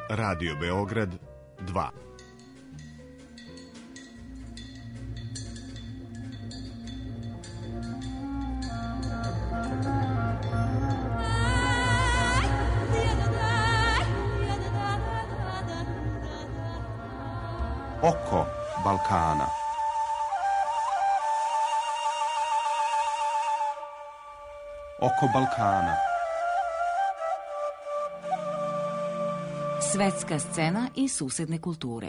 Radio Beograd 2. Oko Balkana. Oko Balkana. Svetska scena i susedne kulture.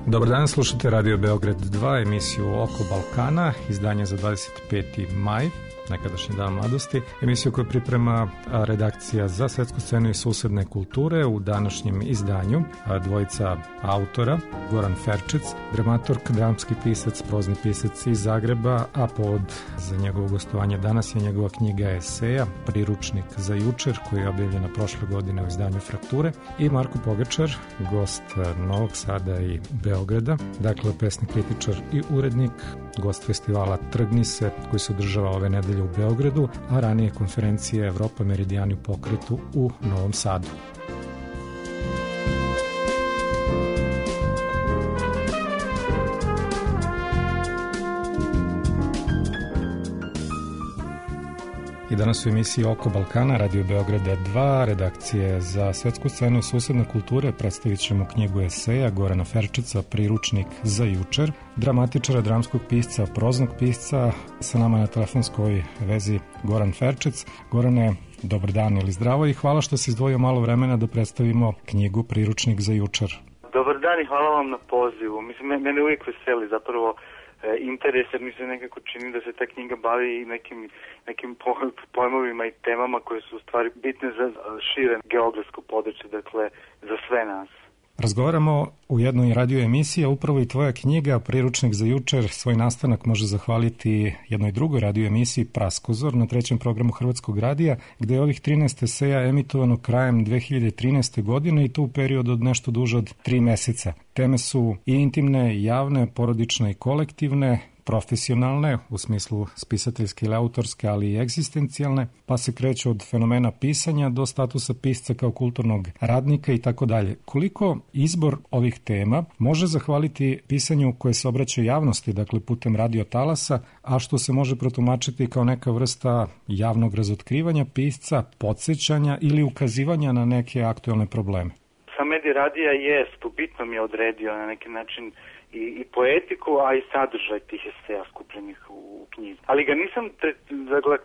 Dobar dan, slušate Radio Beograd 2, emisiju Oko Balkana, izdanje za 25. maj, nekadašnji dan mladosti, emisiju koju priprema redakcija za svetsku scenu i susedne kulture. U današnjem izdanju dvojica autora, Goran Ferčec, dramaturg, dramski pisac, prozni pisac iz Zagreba, a povod za njegovo gostovanje danas je njegova knjiga eseja Priručnik za jučer, koja je objavljena prošle godine u izdanju Frakture, i Marko Pogačar, gost Novog Sada i Beograda, dakle pesni kritičar i urednik, gost festivala Trgni se, koji se održava ove nedelje u Beogradu, a ranije konferencije Evropa Meridijani u pokretu u Novom Sadu. I danas u emisiji Oko Balkana, Radio Beograda 2, redakcije za svetsku scenu i susedne kulture, predstavit ćemo knjigu eseja Gorana Ferčeca, Priručnik za jučer, dramatičara, dramskog pisca, proznog pisca. Sa nama na telefonskoj vezi Goran Ferčec. Gorane, dobar dan ili zdravo i hvala što si izdvojio malo vremena da predstavimo knjigu Priručnik za jučer. Dobar dan i hvala vam na pozivu. Mislim, mene uvijek veseli zapravo interes, jer mi se nekako čini da se ta knjiga bavi nekim pojmovima i temama koje su u stvari bitne za šire geografsko područje, dakle za sve nas. Razgovaramo u jednoj radio emisiji, a upravo i tvoja knjiga Priručnik za jučer svoj nastanak može zahvaliti jednoj drugoj radio emisiji Praskozor na trećem programu Hrvatskog radija, gde je ovih 13 eseja emitovano krajem 2013. godine i to u periodu od nešto duže od 3 meseca. Teme su i intimne, i javne, porodične i kolektivne, profesionalne, u smislu spisateljske ili autorske, ali i egzistencijalne, pa se kreću od fenomena pisanja do statusa pisca kao kulturnog radnika i tako dalje. Koliko izbor ovih tema može zahvaliti pisanju koje se obraća javnosti, dakle putem radio talasa, a što se može protumačiti kao neka vrsta javnog razotkrivanja pisca, podsjećanja ili ukazivanja na neke aktuelne probleme? Sam medij radija jest, bitno mi je odredio na neki način i poetiku, a i sadržaj tih eseja skupljenih u knjizi. Ali ga nisam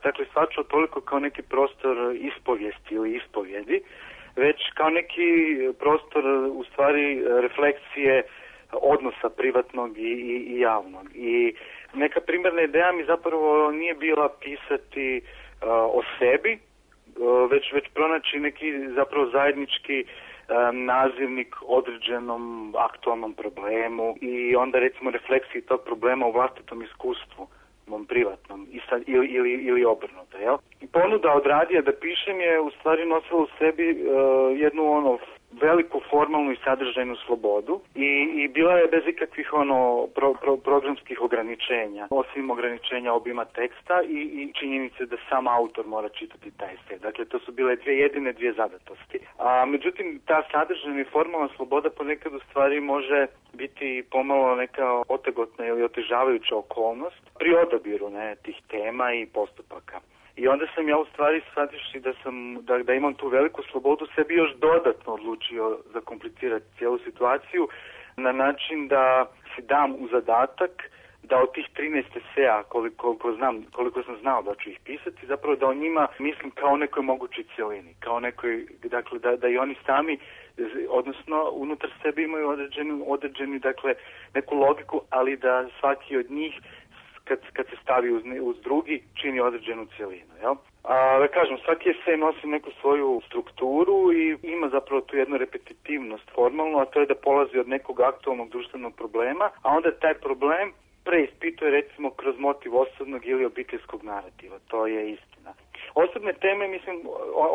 dakle shvaćao toliko kao neki prostor ispovijesti ili ispovjedi, već kao neki prostor u stvari refleksije odnosa privatnog i javnog. I neka primarna ideja mi zapravo nije bila pisati o sebi, već pronaći neki zapravo zajednički nazivnik određenom aktualnom problemu i onda recimo refleksiji tog problema u vlastitom iskustvu, mom privatnom ili obrnuto, jel? I ponuda od radija da pišem je u stvari nosila u sebi jednu veliku formalnu i sadržajnu slobodu i bila je bez ikakvih programskih ograničenja, osim ograničenja obima teksta i činjenice da sam autor mora čitati taj esej. Dakle, to su bile dvije zadatosti. A međutim, ta sadržajna i formalna sloboda ponekad u stvari može biti pomalo neka otegotna ili otežavajuća okolnost pri odabiru tih tema i postupaka. I onda sam ja u stvari shvativši da imam tu veliku slobodu sebi još dodatno odlučio zakomplicirati cijelu situaciju na način da si dam u zadatak da od tih 13 eseja koliko sam znao da ću ih pisati, zapravo da o njima mislim kao o nekoj mogućoj cjelini, kao nekoj, dakle da i oni sami, odnosno unutar sebe imaju određeni dakle neku logiku, ali da svaki od njih kad se stavi uz drugi, čini određenu cjelinu, jel? Da kažem, svaki esej nosi neku svoju strukturu i ima zapravo tu jednu repetitivnost formalnu, a to je da polazi od nekog aktualnog društvenog problema, a onda taj problem preispituje recimo kroz motiv osobnog ili obiteljskog narativa. To je istina. Osobne teme, mislim,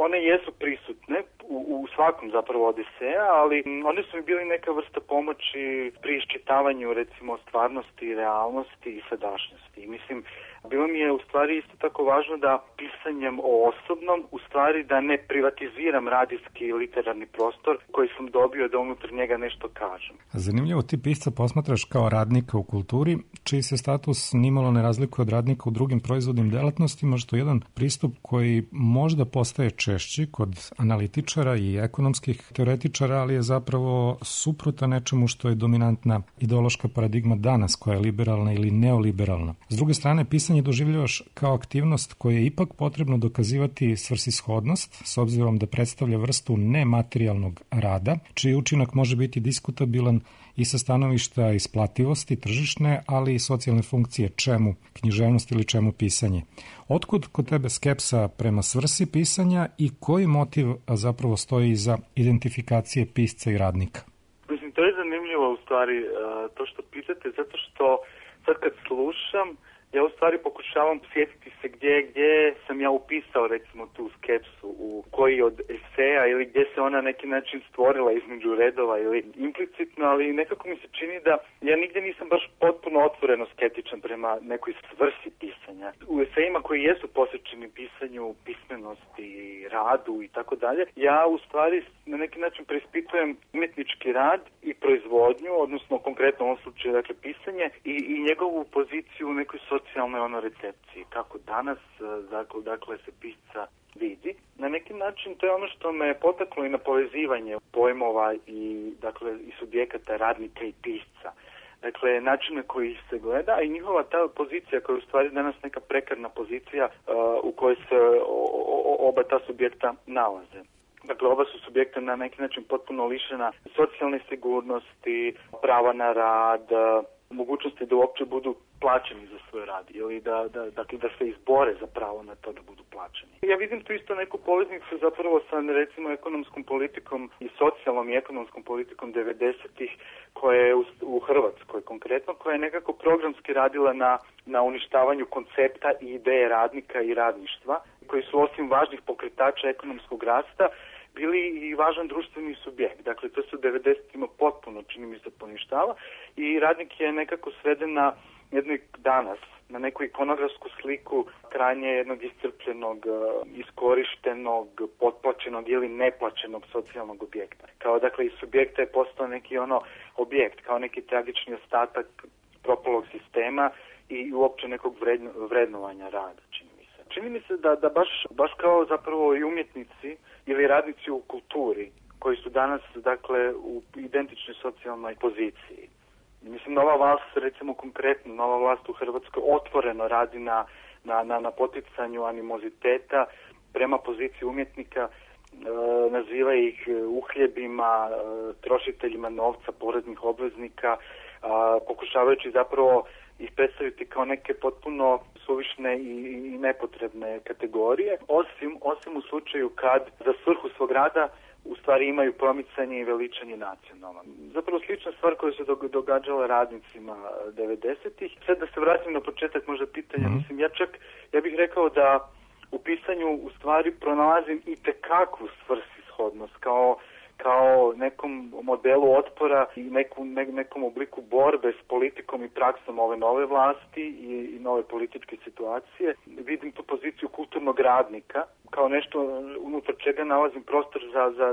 one jesu prisutne u svakom zapravo Odiseja, ali one su mi bili neka vrsta pomoći pri iščitavanju, recimo, stvarnosti, realnosti i sadašnjosti. I mislim, bilo mi je u stvari isto tako važno da pisanjem o osobnom, u stvari da ne privatiziram radijski i literarni prostor koji sam dobio da unutar njega nešto kažem. Zanimljivo, ti pisca posmatraš kao radnika u kulturi, čiji se status nimalo ne razlikuje od radnika u drugim proizvodnim delatnostima, što je jedan pristup koji možda postaje češći kod analitičara i ekonomskih teoretičara, ali je zapravo suprotan nečemu što je dominantna ideološka paradigma danas, koja je liberalna ili neoliberalna. S druge strane, pisanje doživljavaš kao aktivnost koja je ipak potrebno dokazivati svrsishodnost, s obzirom da predstavlja vrstu nematerijalnog rada, čiji učinak može biti diskutabilan i sa stanovišta isplativosti tržišne, ali i socijalne funkcije, čemu književnost ili čemu pisanje. Otkud kod tebe skepsa prema svrsi pisanja i koji motiv zapravo stoji iza identifikacije pisca i radnika? Mislim, to je zanimljivo u stvari to što pitate, zato što sad kad slušam, ja u stvari pokušavam sjetiti se gdje sam ja upisao recimo tu skepsu, u koji od eseja ili gdje se ona na neki način stvorila između redova ili implicitno, ali nekako mi se čini da ja nigdje nisam baš potpuno otvoreno skeptičan prema nekoj svrsi pisanja. U esejima koji jesu posvećeni pisanju, pismenosti, radu i tako dalje, ja u stvari na neki način preispitujem umjetnički rad i proizvodnju, odnosno konkretno u ovom slučaju dakle pisanje i njegovu poziciju u nekoj socijalnoj recepciji, kako danas dakle se pisca vidi. Na neki način to je ono što me potaklo i na povezivanje pojmova i dakle i subjekata radnika i pisca. Dakle, način na koji se gleda i njihova ta pozicija koja je u stvari danas neka prekarna pozicija u kojoj se oba ta subjekta nalaze. Dakle, oba su subjekta na neki način potpuno lišena socijalne sigurnosti, prava na rad, mogućnosti da uopće budu plaćeni za svoj rad ili da se izbore za pravo na to da budu plaćeni. Ja vidim tu isto neku poveznicu zapravo sa recimo ekonomskom politikom i socijalnom i ekonomskom politikom 90-ih koja je u Hrvatskoj konkretno, koja je nekako programski radila na uništavanju koncepta i ideje radnika i radništva, koji su osim važnih pokretača ekonomskog rasta bili i važan društveni subjekt. Dakle, to se u 90-ima potpuno, čini mi se, poništava i radnik je nekako sveden na jednoj danas, na neku ikonografsku sliku krajnje jednog iscrpljenog, iskorištenog, potplaćenog ili neplaćenog socijalnog objekta. Kao dakle iz subjekta je postao neki objekt, kao neki tragični ostatak propalog sistema i uopće nekog vrednovanja rada, čini mi se. Čini mi se da baš kao zapravo i umjetnici ili radnici u kulturi koji su danas dakle u identičnoj socijalnoj poziciji. Mislim, nova vlast, recimo konkretno, nova vlast u Hrvatskoj otvoreno radi na poticanju animoziteta prema poziciji umjetnika, naziva ih uhljebima, trošiteljima novca, poreznih obveznika, pokušavajući zapravo ih predstaviti kao neke potpuno suvišne i nepotrebne kategorije, osim u slučaju kad za svrhu svog rada u stvari imaju promicanje i veličanje nacionalno. Zapravo slična stvar koja se događala radnicima 90-ih. Sad da se vratim na početak možda pitanja, mislim, ja bih rekao da u pisanju u stvari pronalazim i tekakvu svrsishodnost kao nekom modelu otpora i nekom obliku borbe s politikom i praksom ove nove vlasti i nove političke situacije. Vidim tu poziciju kulturnog radnika kao nešto unutar čega nalazim prostor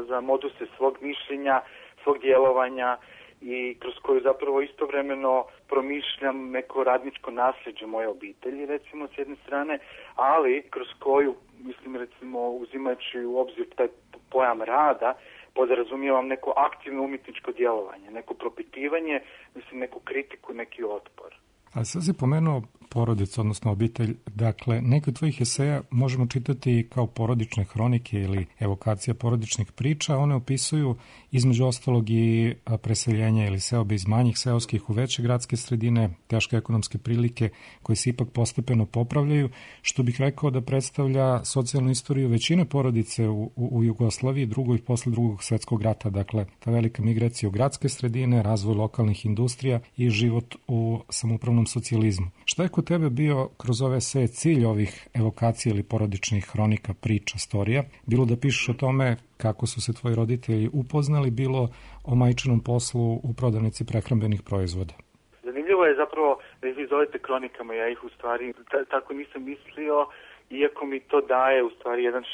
za moduse svog mišljenja, svog djelovanja i kroz koju zapravo istovremeno promišljam neko radničko nasljeđe moje obitelji, recimo, s jedne strane, ali kroz koju, mislim, recimo, uzimajući u obzir taj pojam rada, podrazumijevam neko aktivno umjetničko djelovanje, neko propitivanje, mislim, neku kritiku, neki otpor. A sad si pomenuo porodicu, odnosno obitelj. Dakle, neke od tvojih eseja možemo čitati kao porodične hronike ili evokacija porodičnih priča. One opisuju između ostalog i preseljenja ili seobe iz manjih seoskih u veće gradske sredine, teške ekonomske prilike koje se ipak postepeno popravljaju, što bih rekao da predstavlja socijalnu istoriju većine porodice u Jugoslaviji, drugoj posle Drugog svjetskog rata. Dakle, ta velika migracija u gradske sredine, razvoj lokalnih industrija i život u samoupravnom socijalizmu. Šta je kod tebe bio kroz ove sve cilj ovih evokacija ili porodičnih hronika, priča, storija? Bilo da pišeš o tome kako su se tvoji roditelji upoznali, bilo o majčinom poslu u prodavnici prehrambenih proizvoda? Zanimljivo je zapravo da ih zovete kronikama, ja ih u stvari tako nisam mislio, iako mi to daje u stvari jedan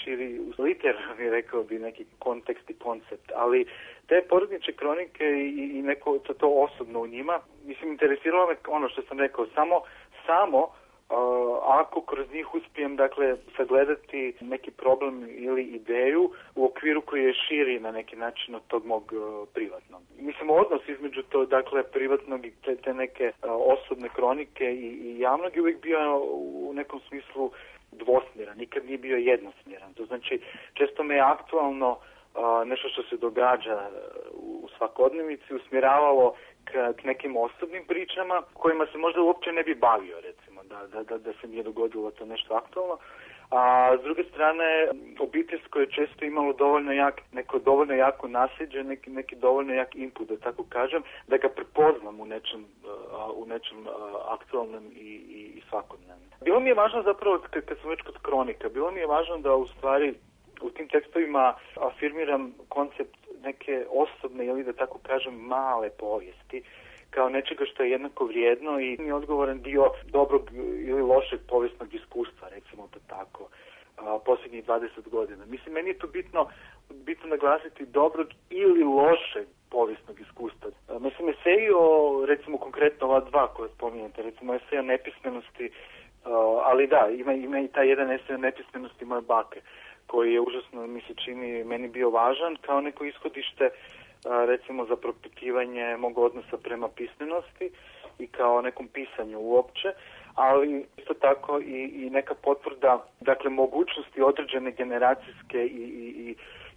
širi literarni, rekao bi, neki kontekst i koncept, ali te porodične kronike i neko to osobno u njima, mislim, interesiralo me ono što sam rekao, samo ako kroz njih uspijem, dakle, sagledati neki problem ili ideju u okviru koji je širi na neki način od tog mog privatnog. Mislim, odnos između to, dakle, privatnog i te neke osobne kronike i javnog je uvijek bio u nekom smislu dvosmjeran, nikad nije bio jednosmjeran. To znači, često me je aktualno nešto što se događa u svakodnevici usmjeravalo k nekim osobnim pričama kojima se možda uopće ne bi bavio, recimo, da se nije dogodilo to nešto aktualno. A s druge strane, obiteljsko je često imalo dovoljno jako nasljeđe, neki dovoljno jak input, da tako kažem, da ga prepoznam u nečem aktualnom i svakodnevnom. Bilo mi je važno zapravo, kad sam već kod kronika, bilo mi je važno da u stvari u tim tekstovima afirmiram koncept neke osobne ili da tako kažem male povijesti kao nečega što je jednako vrijedno i je odgovoran dio dobrog ili lošeg povijesnog iskustva, recimo to tako, posljednjih 20 godina. Mislim, meni je to bitno naglasiti dobrog ili lošeg povijesnog iskustva. Mislim, eseji o, recimo konkretno ova dva koje spominjete, recimo esej o nepismenosti, ali da, ima i taj jedan esej o nepismenosti moje bake, koji je užasno, mi se čini, meni bio važan kao neko ishodište, recimo za propitivanje mog odnosa prema pismenosti i kao nekom pisanju uopće, ali isto tako i neka potvrda, dakle, mogućnosti određene generacijske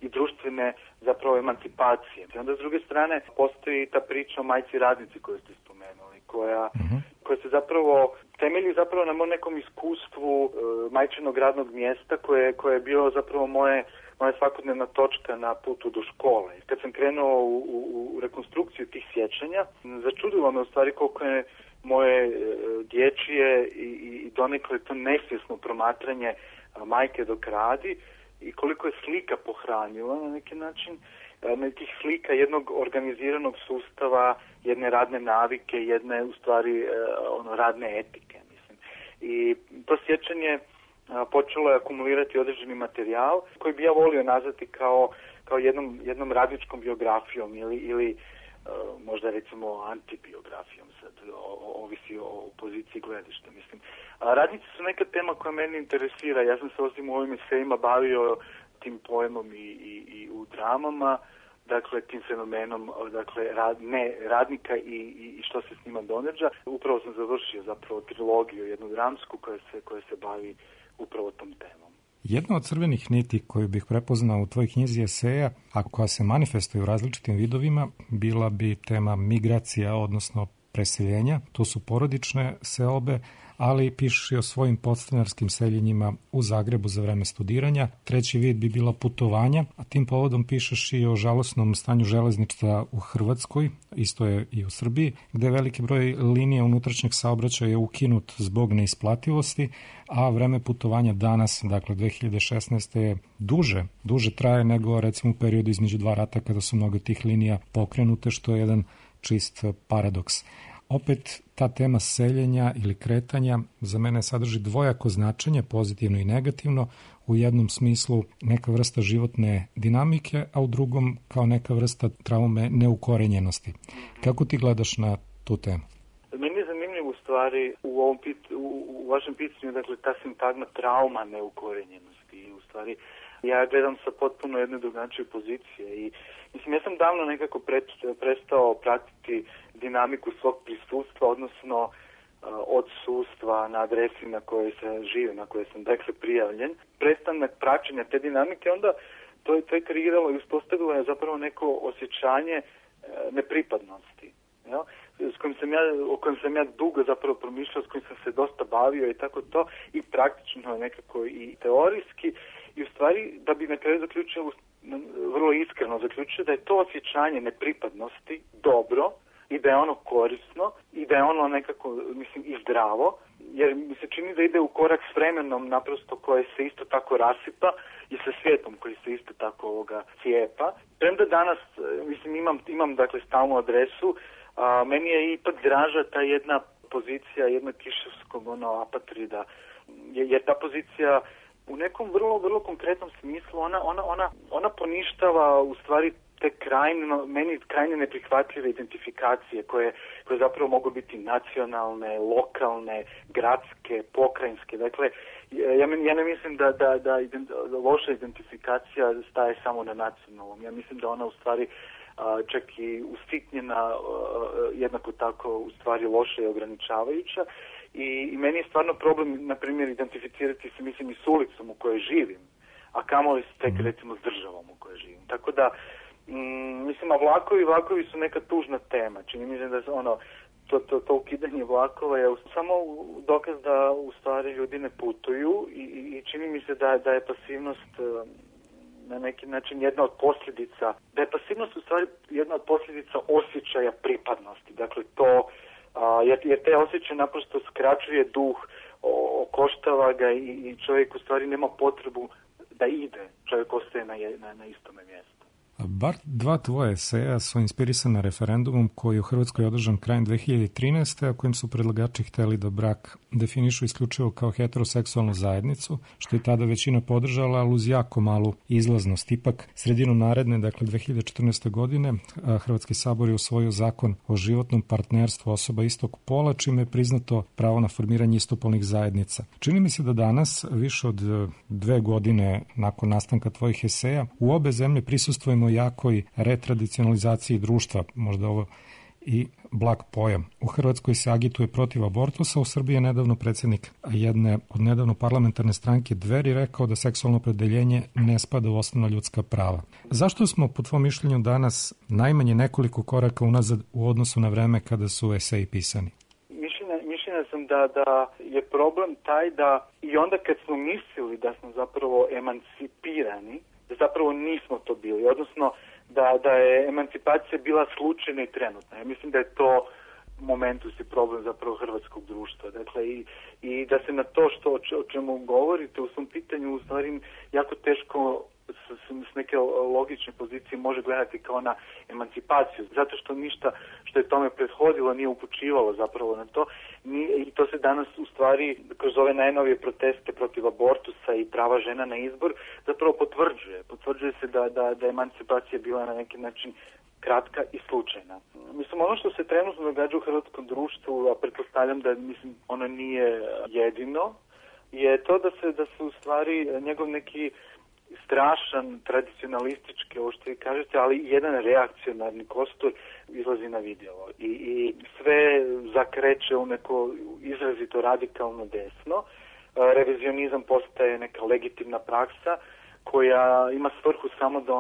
i društvene zapravo emancipacije. I onda s druge strane postoji ta priča o majci radnici koju ste spomenuli, koja se zapravo temelji zapravo na nekom iskustvu majčinog radnog mjesta koje je bilo zapravo moja svakodnevna točka na putu do škole. Kad sam krenuo u rekonstrukciju tih sjećanja, začudilo me u stvari koliko je moje dječje i donekle to nesvjesno promatranje majke dok radi i koliko je slika pohranila na neki način, nekih slika jednog organiziranog sustava, jedne radne navike, jedne u stvari radne etike, mislim. I to sjećanje počelo je akumulirati određeni materijal koji bi ja volio nazvati kao jednom radničkom biografijom ili možda recimo antibiografijom, sad ovisi o poziciji gledišta, mislim. Radnici su neka tema koja meni interesira, ja sam se osim u ovim esejima bavio tim pojmom i u dramama, dakle tim fenomenom, dakle radnika i što se s njima događa. Upravo sam završio zapravo trilogiju, jednu dramsku koja se bavi upravo tom temom. Jedna od crvenih niti koju bih prepoznao u tvojoj knjizi eseja, a koja se manifestuje u različitim vidovima, bila bi tema migracija, odnosno preseljenja. To su porodične seobe, ali pišeš i o svojim podstanarskim seljenjima u Zagrebu za vreme studiranja. Treći vid bi bila putovanja, a tim povodom pišeš i o žalosnom stanju železništva u Hrvatskoj, isto je i u Srbiji, gde veliki broj linija unutrašnjeg saobraćaja je ukinut zbog neisplativosti, a vreme putovanja danas, dakle 2016. je duže traje nego recimo u periodu između dva rata kada su mnogo tih linija pokrenute, što je jedan čist paradoks. Opet, ta tema seljenja ili kretanja za mene sadrži dvojako značenje, pozitivno i negativno, u jednom smislu neka vrsta životne dinamike, a u drugom kao neka vrsta traume neukorenjenosti. Kako ti gledaš na tu temu? Meni je zanimljivo u stvari u vašem pitanju, dakle, ta sintagma trauma neukorenjenosti i u stvari ja gledam sa potpuno jedne drugačije pozicije i mislim, ja sam davno nekako prestao pratiti dinamiku svog prisustva, odnosno odsustva na adresi na kojoj se živi, na kojoj sam dakle prijavljen. Prestanak praćenja te dinamike, onda to je kreiralo i uspostavilo je zapravo neko osjećanje nepripadnosti, ja? O kojem sam ja dugo zapravo promišljao, s kojim sam se dosta bavio i tako to, i praktično nekako i teorijski, i u stvari da bi na kraju zaključio, vrlo iskreno zaključio, da je to osjećanje nepripadnosti dobro, i da je ono korisno i da je ono nekako, mislim, i zdravo, jer mi se čini da ide u korak s vremenom naprosto koje se isto tako rasipa i sa svijetom koji se isto tako cijepa. Premda danas, mislim, imam dakle stalnu adresu, meni je ipak draža ta jedna pozicija jednog kiševskog apatrida, jer ta pozicija u nekom vrlo konkretnom smislu ona poništava u stvari te meni krajne neprihvatljive identifikacije koje zapravo mogu biti nacionalne, lokalne, gradske, pokrajinske. Dakle, ja ne mislim da loša identifikacija staje samo na nacionalnom. Ja mislim da ona u stvari čak i usitnjena, jednako tako u stvari loša i ograničavajuća. I meni je stvarno problem, na primjer, identificirati se, mislim, i s ulicom u kojoj živim, a kamoli tek, recimo, s državom u kojoj živim. Tako da, mislim, a vlakovi su neka tužna tema. Čini mi se da to ukidanje vlakova je samo dokaz da u stvari ljudi ne putuju i čini mi se da je pasivnost na neki način jedna od posljedica, da je pasivnost u stvari jedna od posljedica osjećaja pripadnosti. Dakle, to, jer te osjećaje naprosto skraćuje duh, okoštava ga i čovjek u stvari nema potrebu da ide. Čovjek ostaje na istome mjestu. Bar dva tvoje eseja su inspirisana referendumom koji je u Hrvatskoj održan krajem 2013. a kojim su predlagači hteli da brak definišu isključivo kao heteroseksualnu zajednicu, što je tada većina podržala, ali uz jako malu izlaznost. Ipak, sredinom naredne, dakle 2014. godine, Hrvatski sabor je usvojio zakon o životnom partnerstvu osoba istog pola, čime je priznato pravo na formiranje istopolnih zajednica. Čini mi se da danas, više od 2 godine nakon nastanka tvojih eseja, u obe zemlje prisustvujemo jakoj retradicionalizaciji društva, možda ovo i blag pojam. U Hrvatskoj se agituje protiv abortusa, u Srbiji je nedavno predsjednik jedne od nedavno parlamentarne stranke Dveri rekao da seksualno opredeljenje ne spada u osnovna ljudska prava. Zašto smo, po tvom mišljenju, danas najmanje nekoliko koraka unazad u odnosu na vreme kada su eseji pisani? Mišljenja sam da je problem taj da i onda kad smo mislili da smo zapravo emancipirani, da zapravo nismo to bili, odnosno da je emancipacija bila slučajna i trenutna. Ja mislim da je to momentus i problem zapravo hrvatskog društva. Dakle, i da se na to o čemu govorite u svom pitanju u stvari jako teško s neke logične pozicije može gledati kao na emancipaciju, zato što ništa što je tome prethodilo nije upućivalo zapravo na to. I to se danas u stvari kroz ove najnovije proteste protiv abortusa i prava žena na izbor zapravo potvrđuje. Potvrđuje se da je emancipacija bila na neki način kratka i slučajna. Mislim, ono što se trenutno događa u hrvatskom društvu, a pretpostavljam da ono nije jedino, je to da se u stvari njegov neki strašan, tradicionalistički, ovo što vi kažete, ali jedan reakcionarni kostur izlazi na vidjelo. I sve zakreće u neko izrazito radikalno desno. Revizionizam postaje neka legitimna praksa koja ima svrhu samo da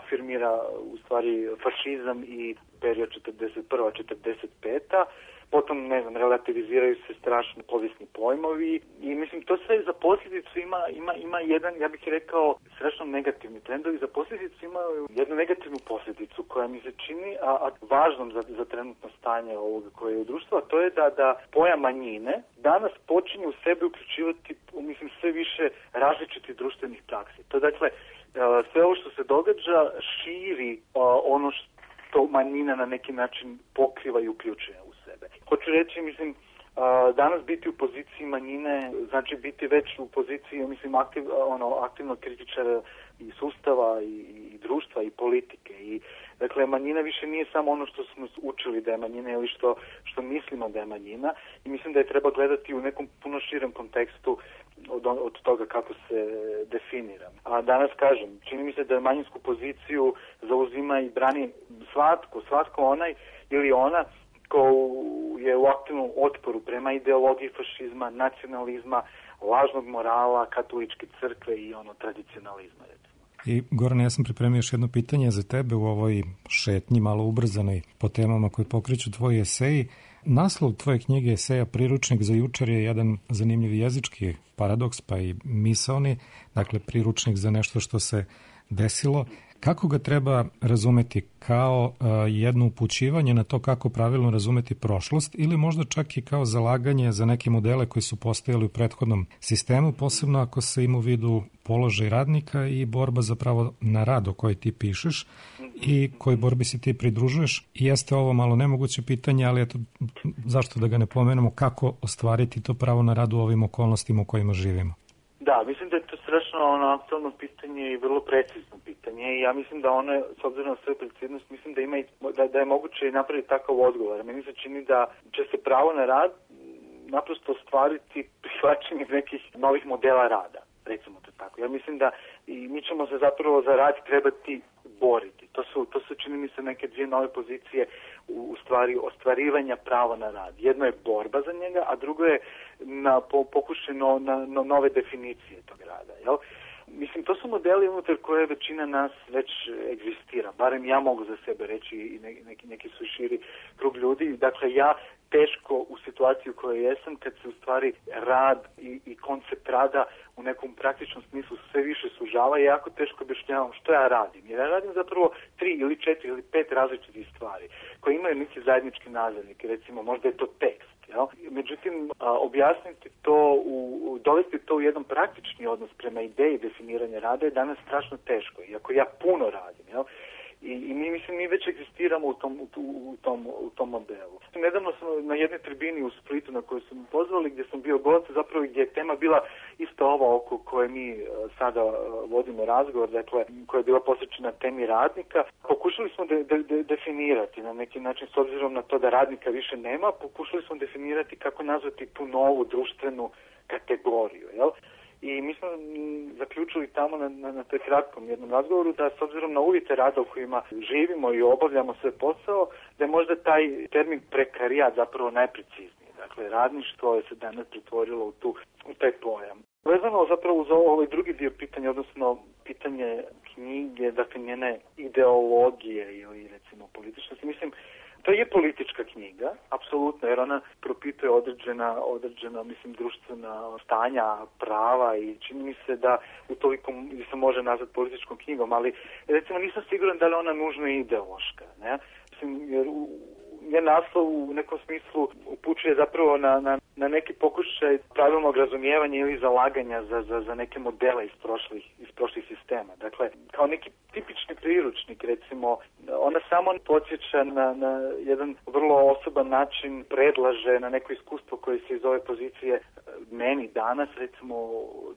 afirmira u stvari fašizam i period 41-45. Potom, relativiziraju se strašni povijesni pojmovi i mislim to sve za posljedicu ima jedan, ja bih rekao, strašno negativni trendovi. Za posljedicu ima jednu negativnu posljedicu koja mi se čini a važnom za trenutno stanje ovoga koje je u društvu, a to je da pojam manjine danas počinje u sebe uključivati, mislim, sve više različitih društvenih praksi. To dakle, sve ovo što se događa širi ono što manjina na neki način pokriva i uključuje u sebe. Hoću reći, mislim, danas biti u poziciji manjine znači biti već u poziciji, mislim, aktivnog kritičara i sustava i društva i politike. I dakle, manjina više nije samo ono što smo učili da je manjina ili što mislimo da je manjina, i mislim da je treba gledati u nekom puno širem kontekstu od toga kako se definira. A danas kažem, čini mi se da manjinsku poziciju zauzima i brani svatko onaj ili ona ko je u aktivnom otporu prema ideologiji fašizma, nacionalizma, lažnog morala, katoličke crkve i tradicionalizma, recimo. I Gorane, ja sam pripremio još jedno pitanje za tebe u ovoj šetnji, malo ubrzanoj po temama koje pokreću tvoji eseji. Naslov tvoje knjige eseja Priručnik za jučer je jedan zanimljiv jezički paradoks, pa i misaoni, dakle priručnik za nešto što se desilo. Kako ga treba razumeti? Kao jedno upućivanje na to kako pravilno razumeti prošlost ili možda čak i kao zalaganje za neke modele koji su postojali u prethodnom sistemu, posebno ako se ima u vidu položaj radnika i borba zapravo na rad o kojoj ti pišeš i kojoj borbi se ti pridružuješ. I jeste ovo malo nemoguće pitanje, ali eto, zašto da ga ne pomenemo, kako ostvariti to pravo na rad u ovim okolnostima u kojima živimo? Da, mislim da je to strašno aktualno pitanje i vrlo precizno pitanje i ja mislim da ono, s obzirom na svoju preciznost, mislim da ima da je moguće i napraviti takav odgovor. Meni se čini da će se pravo na rad naprosto ostvariti prihvaćanje nekih novih modela rada, recimo to tako. Ja mislim da i mi ćemo se zapravo za rad trebati boriti. To su čini mi se neke dvije nove pozicije u stvari ostvarivanja prava na rad. Jedno je borba za njega, a drugo je pokušaj na nove definicije tog rada. Jel? Mislim, to su modeli unutar koje većina nas već egzistira. Barem ja mogu za sebe reći i neki su širi krug ljudi. Dakle, ja teško u situaciji u kojoj jesam, kad se u stvari rad i koncept rada u nekom praktičnom smislu sve više sužava, jako teško objašnjavam što ja radim. Jer ja radim zapravo 3 ili 4 ili 5 različitih stvari koje imaju neki zajednički nazivnik. Recimo, možda je to tekst. Jel? Međutim, objasniti to, dovesti to u jedan praktični odnos prema ideji definiranja rada je danas strašno teško. Iako ja puno radim, jel? I mi već egzistiramo u tom modelu. Nedavno sam na jednoj tribini u Splitu na kojoj su me pozvali, gdje sam bio gost, zapravo gdje je tema bila isto ova oko koje mi sada vodimo razgovor, dakle, koja je bila posvećena temi radnika. Pokušali smo definirati na neki način, s obzirom na to da radnika više nema, pokušali smo definirati kako nazvati tu novu društvenu kategoriju, jel? I mi smo zaključili tamo na toj kratkom jednom razgovoru da s obzirom na uvjete rada u kojima živimo i obavljamo sve posao, da je možda taj termin prekarijat zapravo najprecizniji. Dakle, radništvo je se danas pretvorilo u taj pojam. Vezano zapravo uz ovaj drugi dio pitanja, odnosno pitanje knjige, dakle njene ideologije ili recimo političnosti, mislim, to je politička knjiga, apsolutno, jer ona propituje određena, mislim, društvena stanja, prava i čini mi se da utoliko se može nazvati političkom knjigom, ali recimo nisam siguran da li ona nužno je ideološka, ne? Mislim, jer njen naslov u nekom smislu upućuje zapravo na neki pokušaj pravilnog razumijevanja ili zalaganja za neke modele iz prošlih sistema. Dakle, kao neki tipični priručnik, recimo, ona samo podsjeća na jedan vrlo osoban način, predlaže na neko iskustvo koje se iz ove pozicije meni danas, recimo,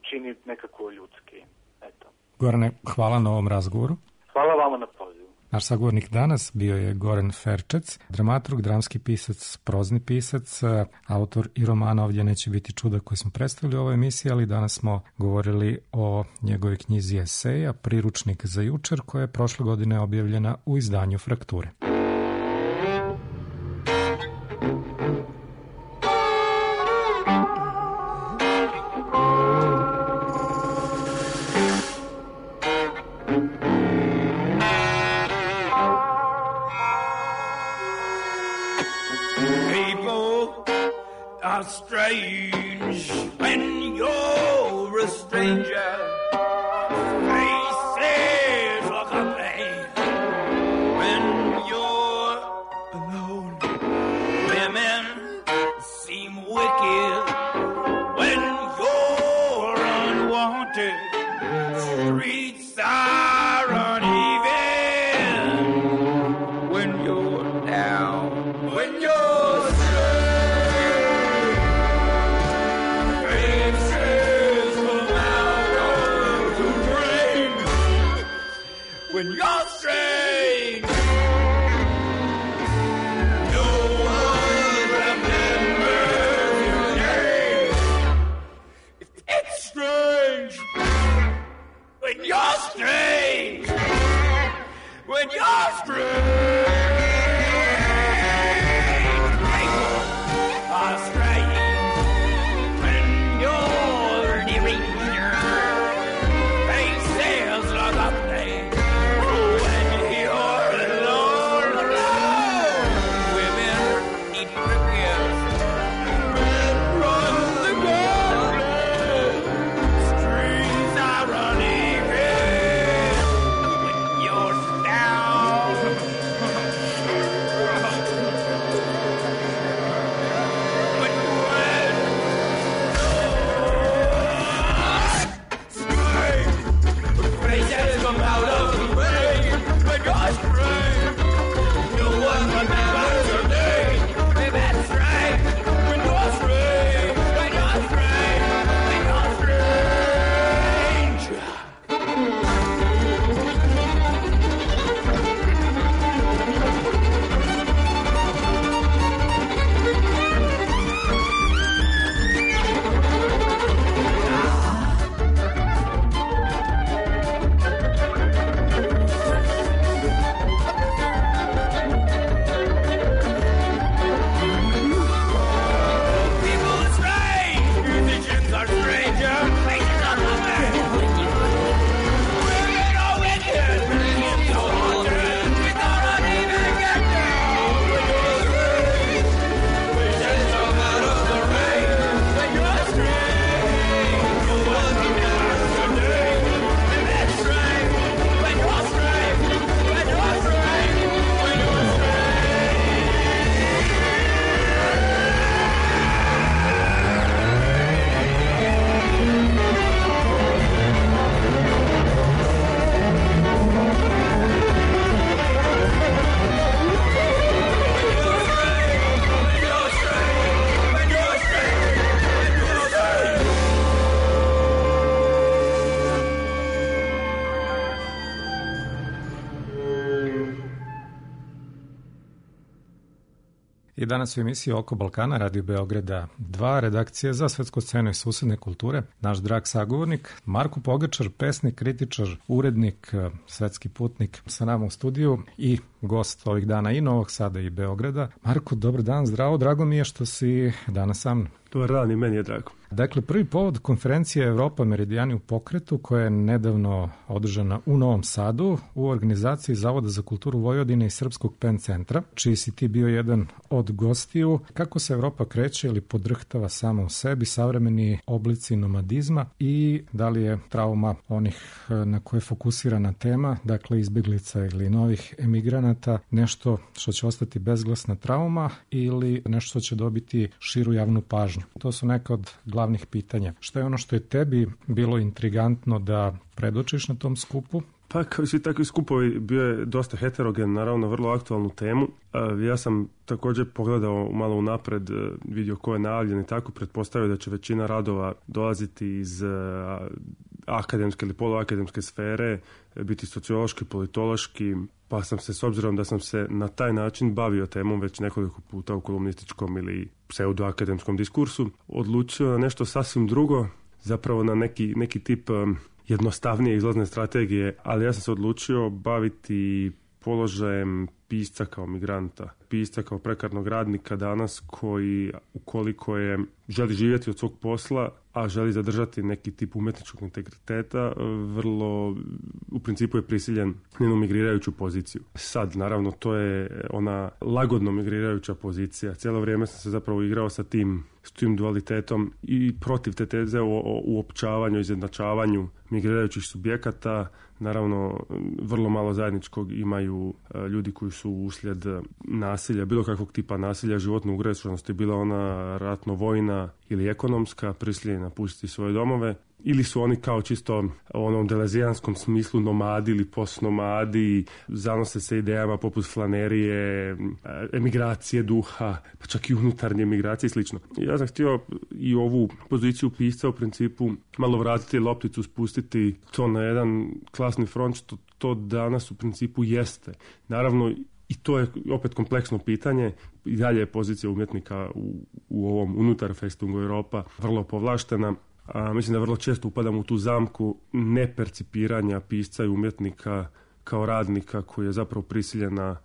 čini nekako ljudski. Eto. Gorane, hvala na ovom razgovoru. Hvala vama na pozivu. Naš sagovornik danas bio je Goran Ferčec, dramaturg, dramski pisac, prozni pisac, autor i romana Ovdje neće biti čuda koji smo predstavili u ovoj emisiji, ali danas smo govorili o njegovoj knjizi eseja Priručnik za jučer, koja je prošle godine objavljena u izdanju Frakture. Strange when you're a stranger. Faces look ugly when you're alone. Women seem wicked when you're unwanted. Streets are uneven when you're down. When you're when you're strange, no one remembers your name. It's strange when you're strange, when you're strange. People are strange when you're deranged. Faces look ugly when I danas u emisiji Oko Balkana, Radio Beograda 2, redakcije za svetsku scenu i susedne kulture. Naš drag sagovornik, Marko Pogačar, pesnik, kritičar, urednik, svetski putnik sa nama u studiju i gost ovih dana i Novog Sada i Beograda. Marko, dobar dan, zdravo, drago mi je što si danas sa mnom. Dobar dan, i meni je drago. Dakle, prvi povod konferencije Evropa Meridijani u pokretu, koja je nedavno održana u Novom Sadu u organizaciji Zavoda za kulturu Vojvodine i Srpskog PEN centra, čiji si ti bio jedan od gostiju. Kako se Evropa kreće ili podrhtava sama u sebi, savremeni oblici nomadizma i da li je trauma onih na koje je fokusirana tema, dakle izbjeglica ili novih emigranata, nešto što će ostati bezglasna trauma ili nešto što će dobiti širu javnu pažnju? To su neka od glavnih pitanja. Što je ono što je tebi bilo intrigantno da predočiš na tom skupu? Pa kao i svi takvi skupovi bio je dosta heterogen, naravno vrlo aktualnu temu. Ja sam također pogledao malo unapred, vidio ko je najavljen i tako, pretpostavio da će većina radova dolaziti iz akademske ili poluakademske sfere, biti sociološki, politološki, pa sam se, s obzirom da sam se na taj način bavio temom već nekoliko puta u kolumnističkom ili pseudoakademskom diskursu, odlučio na nešto sasvim drugo, zapravo na neki tip jednostavnije izlazne strategije, ali ja sam se odlučio baviti položajem pisca kao migranta, pisca kao prekarnog radnika danas koji, ukoliko želi živjeti od svog posla, a želi zadržati neki tip umjetničkog integriteta, vrlo u principu je prisiljen njenu migrirajuću poziciju. Sad, naravno, to je ona lagodno migrirajuća pozicija. Cijelo vrijeme sam se zapravo igrao sa tim dualitetom i protiv te teze o uopćavanju, izjednačavanju migrirajućih subjekata. Naravno, vrlo malo zajedničkog imaju ljudi koji su uslijed nasilja, bilo kakvog tipa nasilja, životne ugroženosti, bila ona ratno-vojna ili ekonomska, prisiljeni napustiti svoje domove, ili su oni kao čisto u onom delezijanskom smislu nomadi ili postnomadi, zanose se idejama poput flanerije, emigracije duha, pa čak i unutarnje emigracije i slično. Ja sam htio i ovu poziciju pisca u principu malo vratiti lopticu, spustiti to na jedan klasni front, što to danas u principu jeste. Naravno, i to je opet kompleksno pitanje. I dalje je pozicija umjetnika u ovom unutar Festungu Europa vrlo povlaštena. Mislim da vrlo često upadam u tu zamku nepercipiranja pisca i umjetnika kao radnika koji je zapravo prisiljen na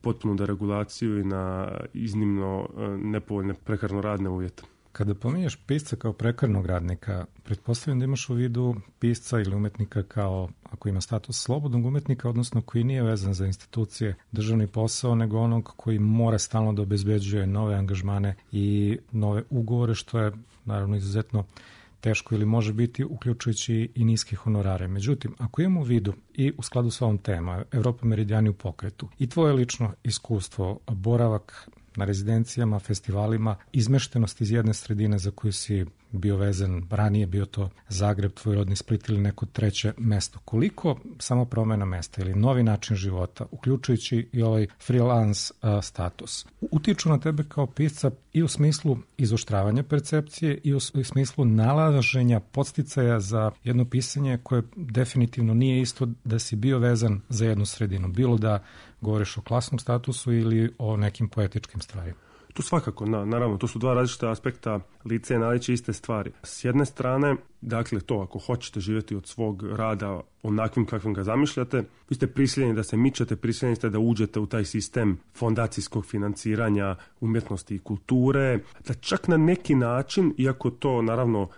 potpunu deregulaciju i na iznimno nepovoljne prekarno radne uvjete. Kada pominješ pisca kao prekarnog radnika, pretpostavljam da imaš u vidu pisca ili umjetnika kao, ako ima status slobodnog umjetnika, odnosno koji nije vezan za institucije, državni posao, nego onog koji mora stalno da obezbeđuje nove angažmane i nove ugovore, što je naravno izuzetno teško ili može biti, uključujući i niske honorare. Međutim, ako imamo u vidu i u skladu s ovom temom Evropa Meridijani u pokretu i tvoje lično iskustvo, boravak na rezidencijama, festivalima, izmeštenost iz jedne sredine za koju si bio vezan, ranije bio to Zagreb, tvoj rodni Split ili neko treće mesto. Koliko samo promjena mesta ili novi način života, uključujući i ovaj freelance status, utiču na tebe kao pisca i u smislu izoštravanja percepcije i u smislu nalaženja podsticaja za jedno pisanje koje definitivno nije isto da si bio vezan za jednu sredinu, bilo da govoriš o klasnom statusu ili o nekim poetičkim stvarima? Tu svakako, naravno, to su dva različita aspekta lice i naliče iste stvari. S jedne strane, dakle to, ako hoćete živjeti od svog rada onakvim kakvim ga zamišljate, vi ste prisiljeni da se mičete, prisiljeni ste da uđete u taj sistem fondacijskog financiranja umjetnosti i kulture, da čak na neki način, iako to naravno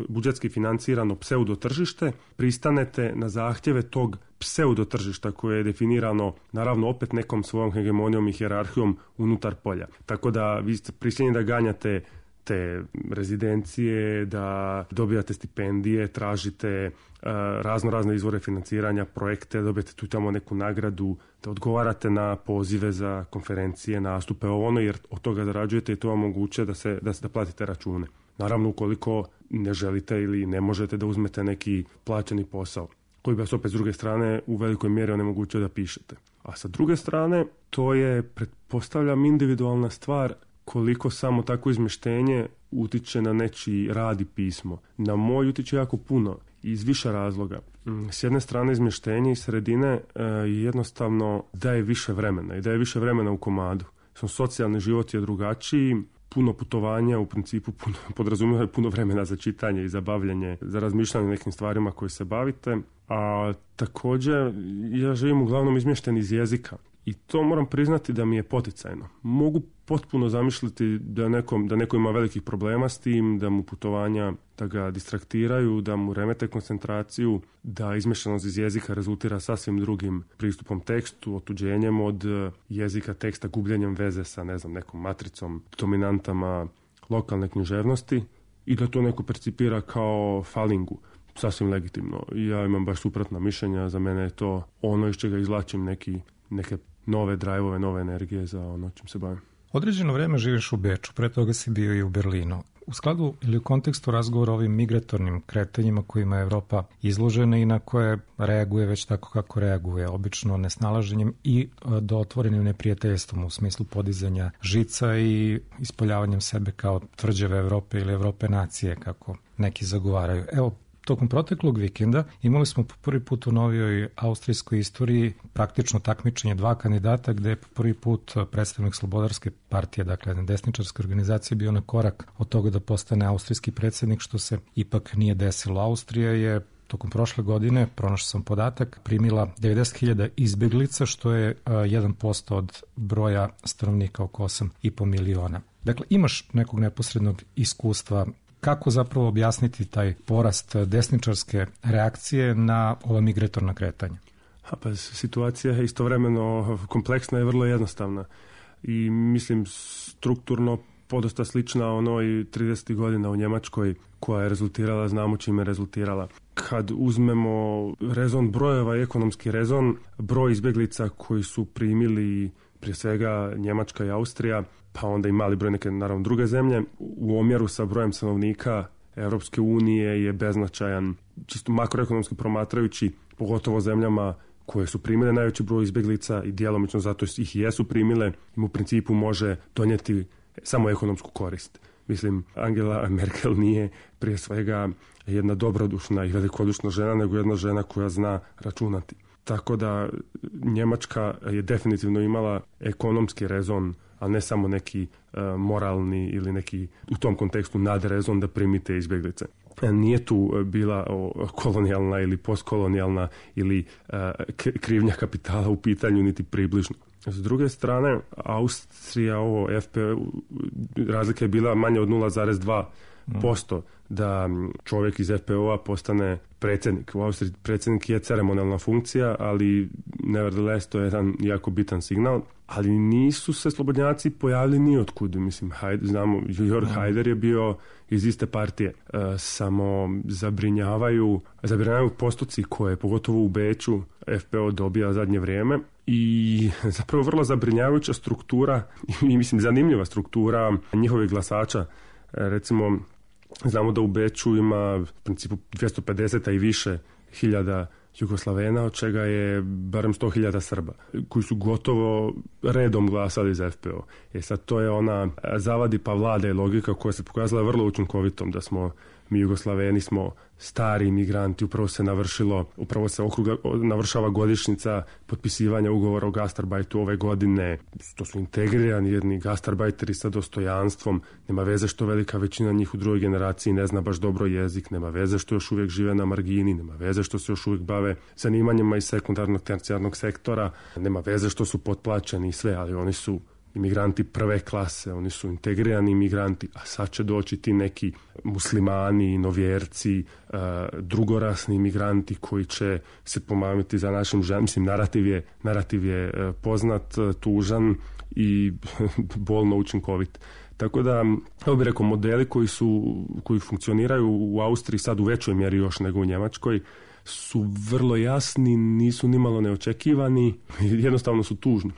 budžetski financirano pseudotržište, pristanete na zahtjeve tog pseudotržišta koje je definirano naravno opet nekom svojom hegemonijom i hijerarhijom unutar polja. Tako da vi ste prisiljeni da ganjate te rezidencije, da dobijate stipendije, tražite razne izvore financiranja, projekte, dobijete tu tamo neku nagradu, da odgovarate na pozive za konferencije, nastupe, jer od toga zarađujete i to vam omogućuje da platite račune. Naravno, ukoliko ne želite ili ne možete da uzmete neki plaćeni posao, koji bi vas opet s druge strane u velikoj mjeri onemogućio da pišete. A sa druge strane, to je, pretpostavljam, individualna stvar koliko samo takvo izmještenje utiče na nečiji rad i pismo. Na moj utiče jako puno, iz više razloga. S jedne strane, izmještenje iz sredine jednostavno daje više vremena i daje više vremena u komadu. socijalni život je drugačiji, puno putovanja u principu podrazumijeva puno vremena za čitanje i za bavljenje, za razmišljanje o nekim stvarima koje se bavite, a također ja živim uglavnom izmješten iz jezika i to moram priznati da mi je poticajno. Mogu potpuno zamisliti da neko ima velikih problema s tim, da mu putovanja da ga distraktiraju, da mu remete koncentraciju, da izmješanost iz jezika rezultira sasvim drugim pristupom tekstu, otuđenjem od jezika teksta, gubljenjem veze sa nekom matricom, dominantama lokalne književnosti i da to neko percipira kao falingu. Sasvim legitimno. Ja imam baš suprotna mišljenja, za mene je to ono iz čega izvlačim neke nove drajvove, nove energije za ono čim se bavim. Određeno vreme živiš u Beču, pre toga si bio i u Berlinu. U skladu ili u kontekstu razgovora o ovim migratornim kretanjima kojima je Evropa izložena i na koje reaguje već tako kako reaguje, obično nesnalaženjem i do otvorenim neprijateljstvom u smislu podizanja žica i ispoljavanjem sebe kao tvrđave Evrope ili Evrope nacije, kako neki zagovaraju. Evo, tokom proteklog vikenda imali smo po prvi put u novijoj austrijskoj istoriji praktično takmičenje dva kandidata gde je po prvi put predstavnik Slobodarske partije, dakle desničarske organizacije, bio na korak od toga da postane austrijski predsjednik, što se ipak nije desilo. Austrija je tokom prošle godine, pronašao sam podatak, primila 90.000 izbeglica, što je 1% od broja stanovnika, oko 8,5 miliona. Dakle, imaš nekog neposrednog iskustva. Kako zapravo objasniti taj porast desničarske reakcije na ova migratorna kretanja? Situacija je istovremeno kompleksna i vrlo jednostavna. I mislim strukturno podosta slična onoj 30. godina u Njemačkoj koja je rezultirala, znamo čime je rezultirala. Kad uzmemo rezon brojeva i ekonomski rezon, broj izbjeglica koji su primili prije svega Njemačka i Austrija, pa onda i mali broj neke, naravno, druge zemlje, u omjeru sa brojem stanovnika Europske unije je beznačajan, čisto makroekonomski promatrajući, pogotovo zemljama koje su primile najveći broj izbjeglica i djelomično zato ih i jesu primile, im u principu može donijeti samo ekonomsku korist. Mislim, Angela Merkel nije prije svega jedna dobrodušna i velikodušna žena, nego jedna žena koja zna računati. Tako da Njemačka je definitivno imala ekonomski rezon, a ne samo neki moralni ili neki u tom kontekstu nadrezon da primite izbjeglice. Nije tu bila kolonijalna ili postkolonijalna ili krivnja kapitala u pitanju, niti približno. S druge strane, Austrija, FPÖ, razlika je bila manje od 0,2% da čovjek iz FPÖ-a postane predsjednik. U Austriji predsjednik je ceremonijalna funkcija, ali nevertheless to je jedan jako bitan signal. Ali nisu se slobodnjaci pojavili ni otkud. Mislim, znamo, Jörg Haider je bio iz iste partije. Samo zabrinjavaju postoci koje, pogotovo u Beču, FPÖ dobija zadnje vrijeme. I zapravo vrlo zabrinjavajuća struktura i mislim zanimljiva struktura njihovih glasača. Recimo, znamo da u Beču ima u principu 250 i više hiljada Jugoslavena, od čega je barem 100.000 Srba, koji su gotovo redom glasali za FPÖ. Sad to je ona zavadi pa vlada i logika koja se pokazala vrlo učinkovitom, da smo mi Jugoslaveni smo stari imigranti, upravo se navršava godišnjica potpisivanja ugovora o gastarbajtu ove godine. To su integrirani jedni gastarbajteri sa dostojanstvom. Nema veze što velika većina njih u drugoj generaciji ne zna baš dobro jezik, nema veze što još uvijek žive na margini, nema veze što se još uvijek bave zanimanjima iz sekundarnog, tercijarnog sektora, nema veze što su potplaćeni i sve, ali oni su imigranti prve klase, oni su integrirani imigranti, a sad će doći ti neki muslimani, novjerci, drugorasni imigranti koji će se pomamiti za našim ženama. Mislim, narativ je poznat, tužan i bolno učinkovit. Tako da, evo bih rekao, modeli koji funkcioniraju u Austriji sad u većoj mjeri još nego u Njemačkoj su vrlo jasni, nisu nimalo neočekivani, jednostavno su tužni.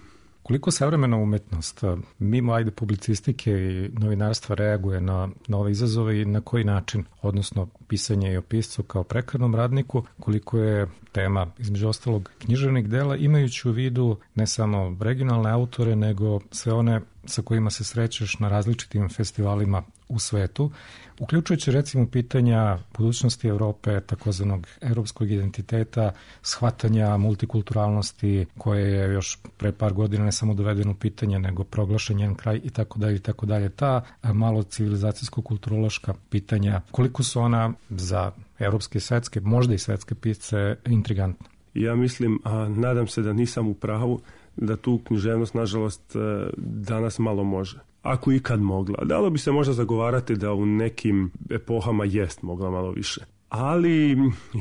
Koliko savremena umetnost, mimo publicistike i novinarstva, reaguje na ove izazove i na koji način, odnosno pisanje i o piscu kao prekarnom radniku, koliko je tema, između ostalog, književnih dela, imajući u vidu ne samo regionalne autore, nego sve one sa kojima se srećeš na različitim festivalima u svetu, uključujući recimo pitanja budućnosti Europe, takozvanog europskog identiteta, shvatanja multikulturalnosti koje je još pre par godina ne samo dovedeno u pitanje, nego proglašen njen kraj i tako dalje i tako dalje. Ta malo civilizacijsko-kulturološka pitanja, koliko su ona za evropske i svetske, možda i svetske pisce, intrigantne? Ja mislim, a nadam se da nisam u pravu, da tu književnost, nažalost, danas malo može. Ako ikad mogla. Dalo bi se možda zagovarati da u nekim epohama jest mogla malo više. Ali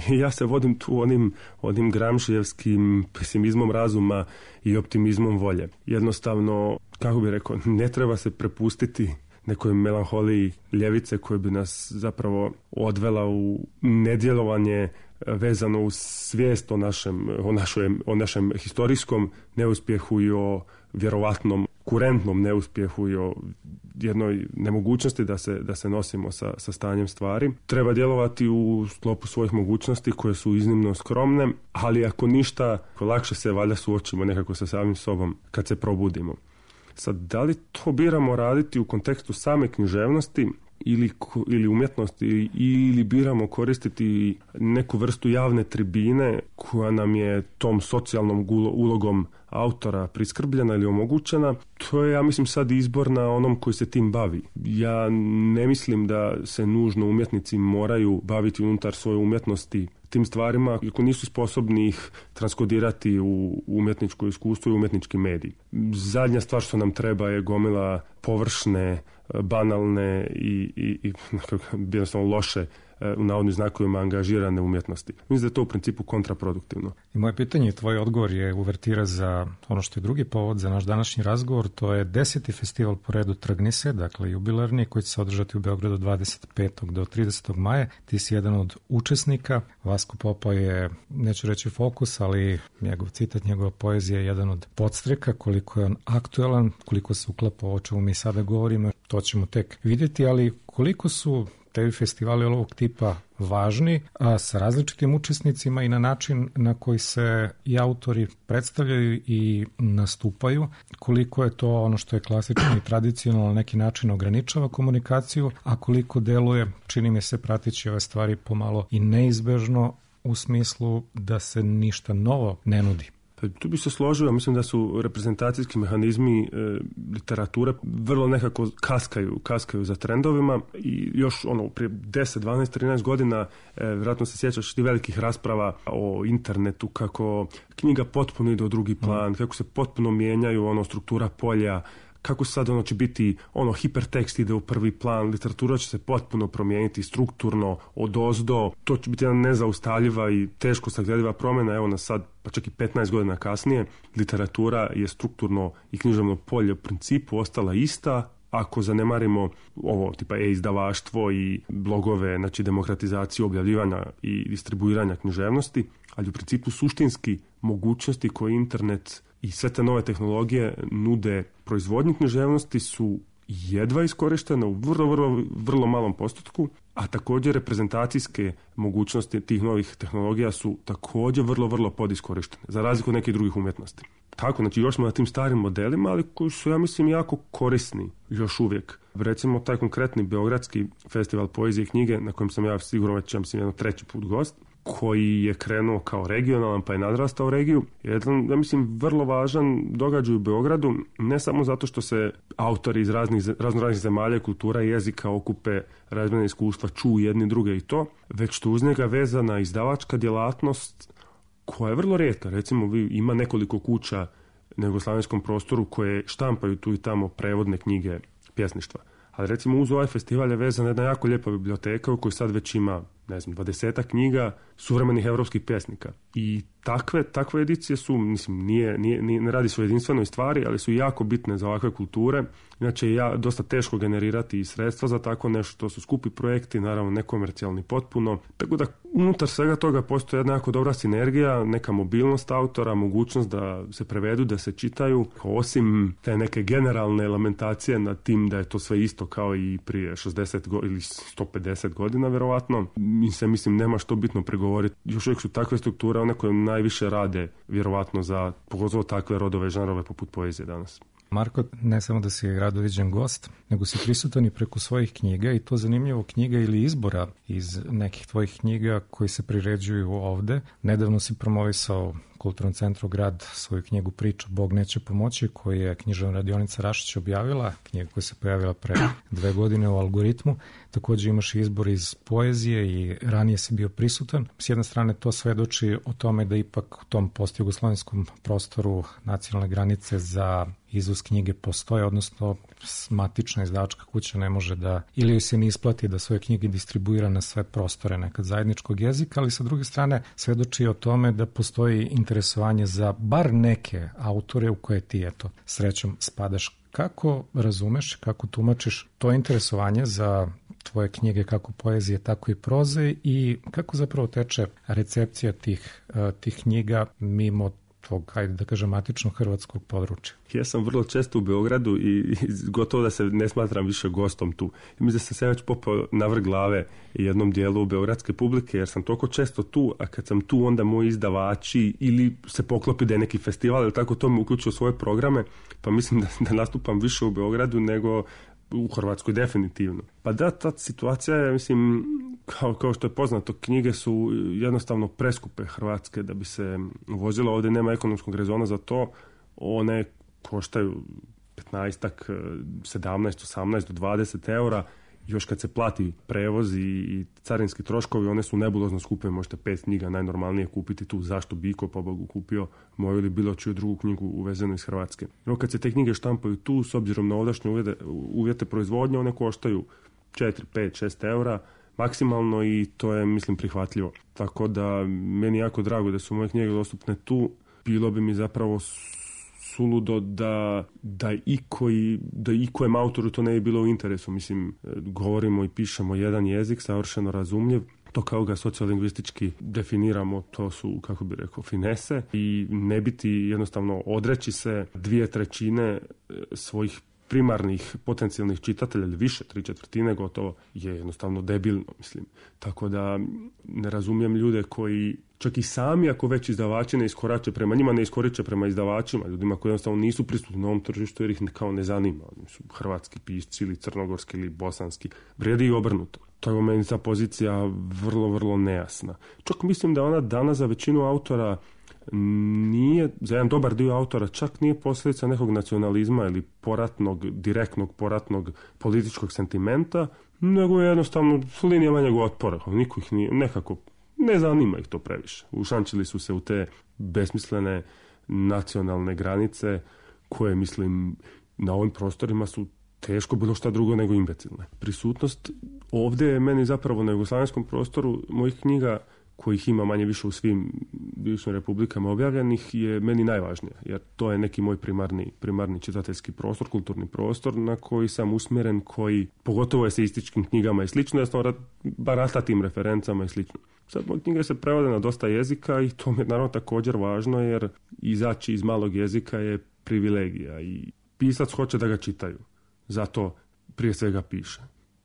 ja se vodim tu onim gramšijevskim pesimizmom razuma i optimizmom volje. Jednostavno, kako bi rekao, ne treba se prepustiti nekoj melanholiji ljevice koja bi nas zapravo odvela u nedjelovanje vezano uz svijest o našem historijskom neuspjehu i o vjerovatnom kurentnom neuspjehu i o jednoj nemogućnosti da se nosimo sa stanjem stvari. Treba djelovati u sklopu svojih mogućnosti koje su iznimno skromne, ali ako ništa, lakše se valjda suočimo nekako sa samim sobom kad se probudimo. Sad, da li to biramo raditi u kontekstu same književnosti ili umjetnosti, ili biramo koristiti neku vrstu javne tribine koja nam je tom socijalnom ulogom autora priskrbljena ili omogućena, to je, ja mislim, sad izbor na onom koji se tim bavi. Ja ne mislim da se nužno umjetnici moraju baviti unutar svoje umjetnosti tim stvarima ako nisu sposobni ih transkodirati u umjetničko iskustvo i umjetnički medij. Zadnja stvar što nam treba je gomila površne, banalne i jednostavno loše, u navodnim znakovima, angažirane umjetnosti. Mislim da je to u principu kontraproduktivno. I moje pitanje i tvoj odgovor je uvertira za ono što je drugi povod za naš današnji razgovor. To je 10. festival po redu Trgnise, dakle jubilarni, koji će se održati u Beogradu od 25. do 30. maja. Ti si jedan od učesnika. Vasko Popa je, neću reći fokus, ali njegov citat, njegova poezija je jedan od podstreka. Koliko je on aktuelan, koliko se uklapa o čemu mi sada govorimo, to ćemo tek vidjeti, ali koliko su tebi festivali ovog tipa važni, a sa različitim učesnicima i na način na koji se i autori predstavljaju i nastupaju, koliko je to ono što je klasično i tradicionalno na neki način ograničava komunikaciju, a koliko deluje, čini mi se, pratići ove stvari pomalo i neizbežno u smislu da se ništa novo ne nudi. Tu bi se složio, mislim da su reprezentacijski mehanizmi literature vrlo nekako kaskaju za trendovima i još prije 10, 12, 13 godina vjerojatno se sjećaš ti velikih rasprava o internetu, kako knjiga potpuno ide u drugi plan, kako se potpuno mijenjaju struktura polja, kako sad će biti hipertekst ide u prvi plan, literatura će se potpuno promijeniti strukturno odozdo, to će biti jedna nezaustavljiva i teško saglediva promjena. Evo nas sad, pa čak i 15 godina kasnije, literatura je strukturno i književno polje u principu ostala ista. Ako zanemarimo ovo tipa e-izdavaštvo i blogove, znači demokratizaciju objavljivanja i distribuiranja književnosti, ali u principu suštinski mogućnosti koje internet i sve te nove tehnologije nude proizvodnji književnosti su jedva iskorištene u vrlo malom postotku, a također reprezentacijske mogućnosti tih novih tehnologija su također vrlo podiskorištene, za razliku od nekih drugih umjetnosti. Tako, znači još smo na tim starim modelima, ali koji su, ja mislim, jako korisni još uvijek. Recimo, taj konkretni Beogradski festival poezije i knjige, na kojem sam ja sigurno već, ja mislim, treći put gost, koji je krenuo kao regionalan pa je nadrastao regiju, je jedan, ja mislim, vrlo važan događaj u Beogradu, ne samo zato što se autori iz raznih zemalja, kultura i jezika okupe, razmjene iskustva, čuju jedni druge i to, već što uz njega vezana izdavačka djelatnost koja je vrlo rijetka. Recimo, ima nekoliko kuća na jugoslavenskom prostoru koje štampaju tu i tamo prevodne knjige pjesništva. Ali recimo uz ovaj festival je vezana jedna jako lijepa biblioteka u kojoj sad već ima, 20 knjiga suvremenih europskih pjesnika. I takve edicije su, mislim, ne radi se o jedinstvenoj stvari, ali su jako bitne za ovakve kulture. Inače je dosta teško generirati i sredstva za tako nešto, to su skupi projekti, naravno nekomercijalni potpuno. Tako da unutar svega toga postoji jedna jako dobra sinergija, neka mobilnost autora, mogućnost da se prevedu, da se čitaju, osim te neke generalne elementacije nad tim da je to sve isto kao i prije 60 ili 150 godina, vjerovatno. Mislim, nema što bitno pregovoriti. Još uvijek su takve strukture, one koje najviše rade, vjerovatno, za pogotovo takve rodove, žanrove poput poezije danas. Marko, ne samo da si radoviđen gost, nego si prisutan i preko svojih knjiga, i to zanimljivo knjiga ili izbora iz nekih tvojih knjiga koji se priređuju ovde. Nedavno si promovisao Kulturnom centru Grad svoju knjigu Priča Bog neće pomoći, koju je književna radionica Rašić objavila, knjiga koja se pojavila pre 2 godine u Algoritmu. Takođe imaš izbor iz poezije i ranije si bio prisutan. S jedne strane to svedoči o tome da ipak u tom postjugoslovenskom prostoru nacionalne granice za izvoz knjige postoje, odnosno matična izdavačka kuća ne može da, ili joj se ne isplati da svoje knjige distribuira na sve prostore nekad zajedničkog jezika, ali sa druge strane svedoči o tome da postoji interesovanje za bar neke autore u koje ti, eto, srećom spadaš. Kako razumeš, kako tumačiš to interesovanje za tvoje knjige, kako poezije, tako i proze, i kako zapravo teče recepcija tih knjiga mimo tog, hajde da kažem, matičnog hrvatskog područja? Ja sam vrlo često u Beogradu i gotovo da se ne smatram više gostom tu. I mislim da sam se već popao navrh glave jednom dijelu beogradske publike, jer sam toliko često tu, a kad sam tu onda moji izdavači ili se poklopi da je neki festival ili tako, to me uključio u svoje programe, pa mislim da nastupam više u Beogradu nego u Hrvatskoj definitivno. Pa da, ta situacija je, mislim, kao što je poznato, knjige su jednostavno preskupe hrvatske da bi se vozilo. Ovdje nema ekonomskog rezona za to. One koštaju 15-ak, 17, 18 do 20 eura. Još kad se plati prevoz i carinski troškovi, one su nebulozno skupe. Možete 5 knjiga najnormalnije kupiti tu. Zašto bi iko pobogu kupio moju ili bilo čiju drugu knjigu uvezenu iz Hrvatske? No, kad se te knjige štampaju tu, s obzirom na ovdašnje uvjete proizvodnje, one koštaju 4, 5, 6 eura maksimalno, i to je, mislim, prihvatljivo. Tako da meni jako drago da su moje knjige dostupne tu. Bilo bi mi zapravo suludo da ikojem autoru to ne bi bilo u interesu. Mislim, govorimo i pišemo jedan jezik savršeno razumljiv. To kao ga sociolingvistički definiramo, to su, kako bi rekao, finese, i ne biti jednostavno odreći se 2/3 svojih primarnih potencijalnih čitatelja ili više, 3/4 gotovo, je jednostavno debilno, mislim. Tako da ne razumijem ljude koji čak i sami, ako već izdavači ne iskorače prema njima, ne iskoriče prema izdavačima, ljudima koji jednostavno nisu prisutni na ovom tržištu jer ih kao ne zanima. Oni su hrvatski pisci ili crnogorski ili bosanski. Vrijedi i obrnuto. To je u meni ta pozicija vrlo, vrlo nejasna. Čak mislim da ona danas za većinu autora nije, za jedan dobar dio autora, čak nije posljedica nekog nacionalizma ili direktnog poratnog političkog sentimenta, nego je jednostavno linija manjeg otpora. Niko ih nije, nekako ne zanima ih to previše. Ušančili su se u te besmislene nacionalne granice koje, mislim, na ovim prostorima su teško bilo šta drugo nego imbecilne. Prisutnost ovdje je meni zapravo na jugoslavenskom prostoru mojih knjiga, kojih ima manje više u svim bivšim republikama objavljenih, je meni najvažnije, jer to je neki moj primarni čitateljski prostor, kulturni prostor na koji sam usmjeren, koji pogotovo eseističkim knjigama i slično, ja barata tim referencama i slično. Sad moje knjige se prevode na dosta jezika i to mi je naravno također važno, jer izaći iz malog jezika je privilegija i pisac hoće da ga čitaju. Zato prije svega piše.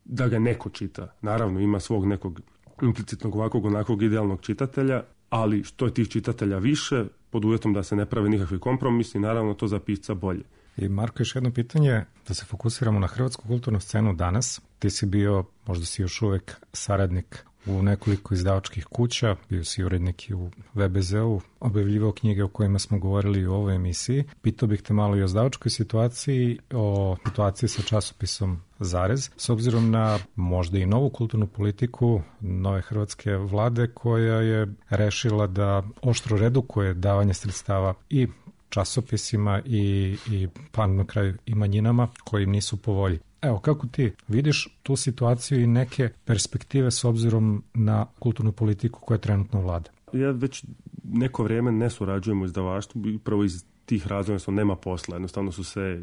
Da ga neko čita. Naravno ima svog nekog implicitnog ovakvog onakvog idealnog čitatelja, ali što je tih čitatelja više, pod uvjetom da se ne pravi nikakvi kompromisi, naravno to za pisca bolje. I Marko, još jedno pitanje, da se fokusiramo na hrvatsku kulturnu scenu danas. Ti si bio, možda si još uvek saradnik u nekoliko izdavačkih kuća, bio si urednik i u VBZ-u, objavljivao knjige o kojima smo govorili u ovoj emisiji. Pitao bih te malo i o izdavačkoj situaciji, o situaciji sa časopisom Zarez, s obzirom na možda i novu kulturnu politiku nove hrvatske vlade koja je rešila da oštro redukuje davanje sredstava i časopisima i pa na kraju i manjinama koji im nisu po volji. Evo, kako ti vidiš tu situaciju i neke perspektive s obzirom na kulturnu politiku koja trenutno vlada? Ja već neko vrijeme ne surađujem u izdavaštvu, upravo iz tih razloga što nema posla. Jednostavno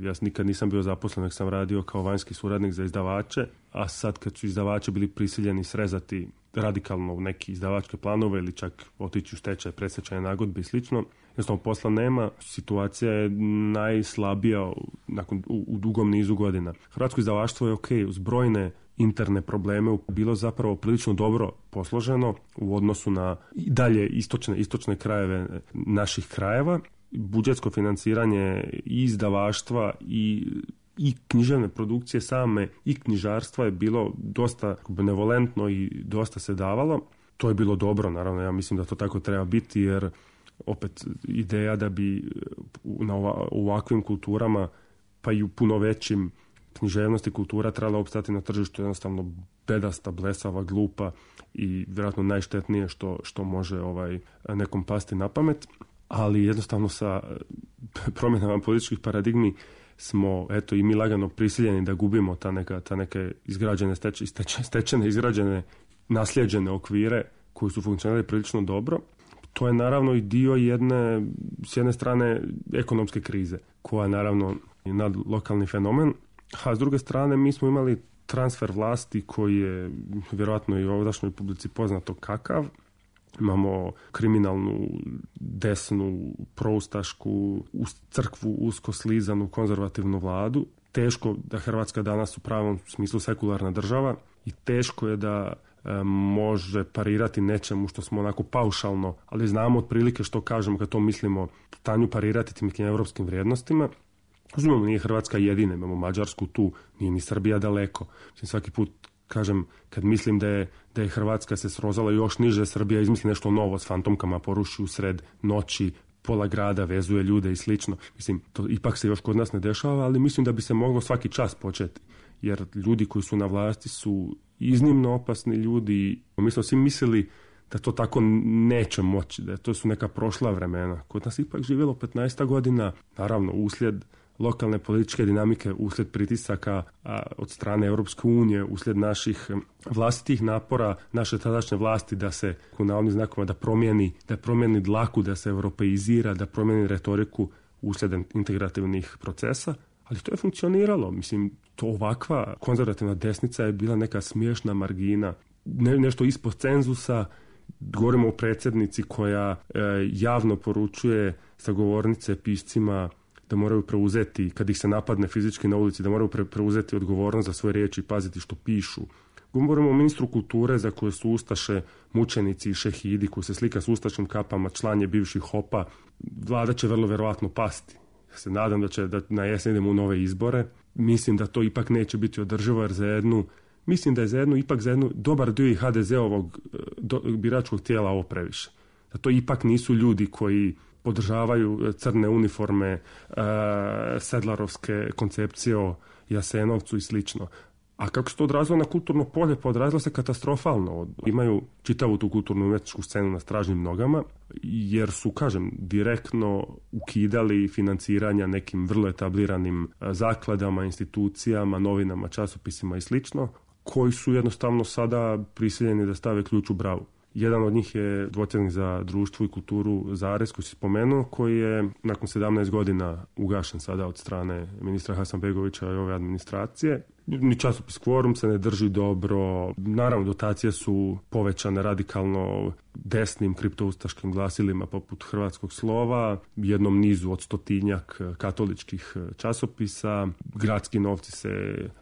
ja nikad nisam bio zaposlen, nek sam radio kao vanjski suradnik za izdavače, a sad kad su izdavači bili prisiljeni srezati radikalno u neki izdavačke planove ili čak otići u stečaj, predstečajne nagodbe i slično, jednostavno posla nema, situacija je najslabija u dugom nizu godina. Hrvatsko izdavaštvo je uz brojne interne probleme bilo zapravo prilično dobro posloženo u odnosu na dalje istočne krajeve naših krajeva. budžetsko financiranje i izdavaštva i književne produkcije same i knjižarstva je bilo dosta benevolentno i dosta se davalo. To je bilo dobro, naravno, ja mislim da to tako treba biti, jer opet ideja da bi na ovakvim kulturama, pa i u puno većim književnosti kultura trebala opstati na tržištu, jednostavno bedasta, blesava, glupa i vjerojatno najštetnije što može nekom pasti na pamet. Ali jednostavno sa promjenama političkih paradigmi smo, eto, i mi lagano prisiljeni da gubimo ta neke izgrađene, stečene, izgrađene, nasljeđene okvire koji su funkcionirali prilično dobro. To je naravno i dio s jedne strane ekonomske krize, koja je naravno nadlokalni fenomen, a s druge strane mi smo imali transfer vlasti koji je vjerojatno i u ovdašnjoj publici poznato kakav. Imamo kriminalnu, desnu, proustašku, crkvu usko slizanu, konzervativnu vladu. Teško da Hrvatska danas u pravom smislu sekularna država i teško je da može parirati nečemu što smo onako paušalno, ali znamo otprilike što kažemo kad to mislimo, stanju parirati tim nekim evropskim vrijednostima. Uzmimo, nije Hrvatska jedina, imamo Mađarsku tu, nije ni Srbija daleko. Svaki put kažem, kad mislim da je Hrvatska se srozala još niže, Srbija izmisli nešto novo s fantomkama, poruši u sred noći, pola grada vezuje ljude i slično. Mislim, to ipak se još kod nas ne dešava, ali mislim da bi se moglo svaki čas početi. Jer ljudi koji su na vlasti su iznimno opasni ljudi. Mi smo svi mislili da to tako neće moći, da to su neka prošla vremena. Kod nas ipak živjelo 15 godina, naravno uslijed lokalne političke dinamike, uslijed pritisaka od strane Europske unije, uslijed naših vlastitih napora, naše tadašnje vlasti da se, u navodnim znakovima, da promijeni dlaku, da se europeizira, da promijeni retoriku uslijed integrativnih procesa. Ali to je funkcioniralo. Mislim, to ovakva konzervativna desnica je bila neka smiješna margina, nešto ispod cenzusa. Govorimo o predsjednici koja javno poručuje sa govornice piscima da moraju preuzeti, kad ih se napadne fizički na ulici, da moraju preuzeti odgovornost za svoje riječi i paziti što pišu. Govorimo o ministru kulture za koje su ustaše, mučenici i šehidi, koji se slika s ustaškim kapama, član je bivših HOP-a. Vlada će vrlo vjerojatno pasti. Ja se nadam da na jesen idemo u nove izbore. Mislim da to ipak neće biti održivo, jer mislim da je ipak za jednu dobar dio i HDZ-ovog biračkog tijela ovo previše. Da to ipak nisu ljudi koji podržavaju crne uniforme, sedlarovske koncepcije o Jasenovcu i slično. A kako se to odrazilo na kulturno polje? Pa odrazilo se katastrofalno. Imaju čitavu tu kulturnu umjetničku scenu na stražnim nogama, jer su, kažem, direktno ukidali financiranja nekim vrlo etabliranim zakladama, institucijama, novinama, časopisima i slično, koji su jednostavno sada prisiljeni da stave ključ u bravu. Jedan od njih je Dvotjednik za društvo i kulturu Zarez, koji si spomenuo, koji je nakon 17 godina ugašen sada od strane ministra Hasanbegovića i ove administracije. Ni časopis Kvorum se ne drži dobro. Naravno, dotacije su povećane radikalno desnim kriptoustaškim glasilima poput Hrvatskog slova, jednom nizu od 100-tinjak katoličkih časopisa. Gradski novci se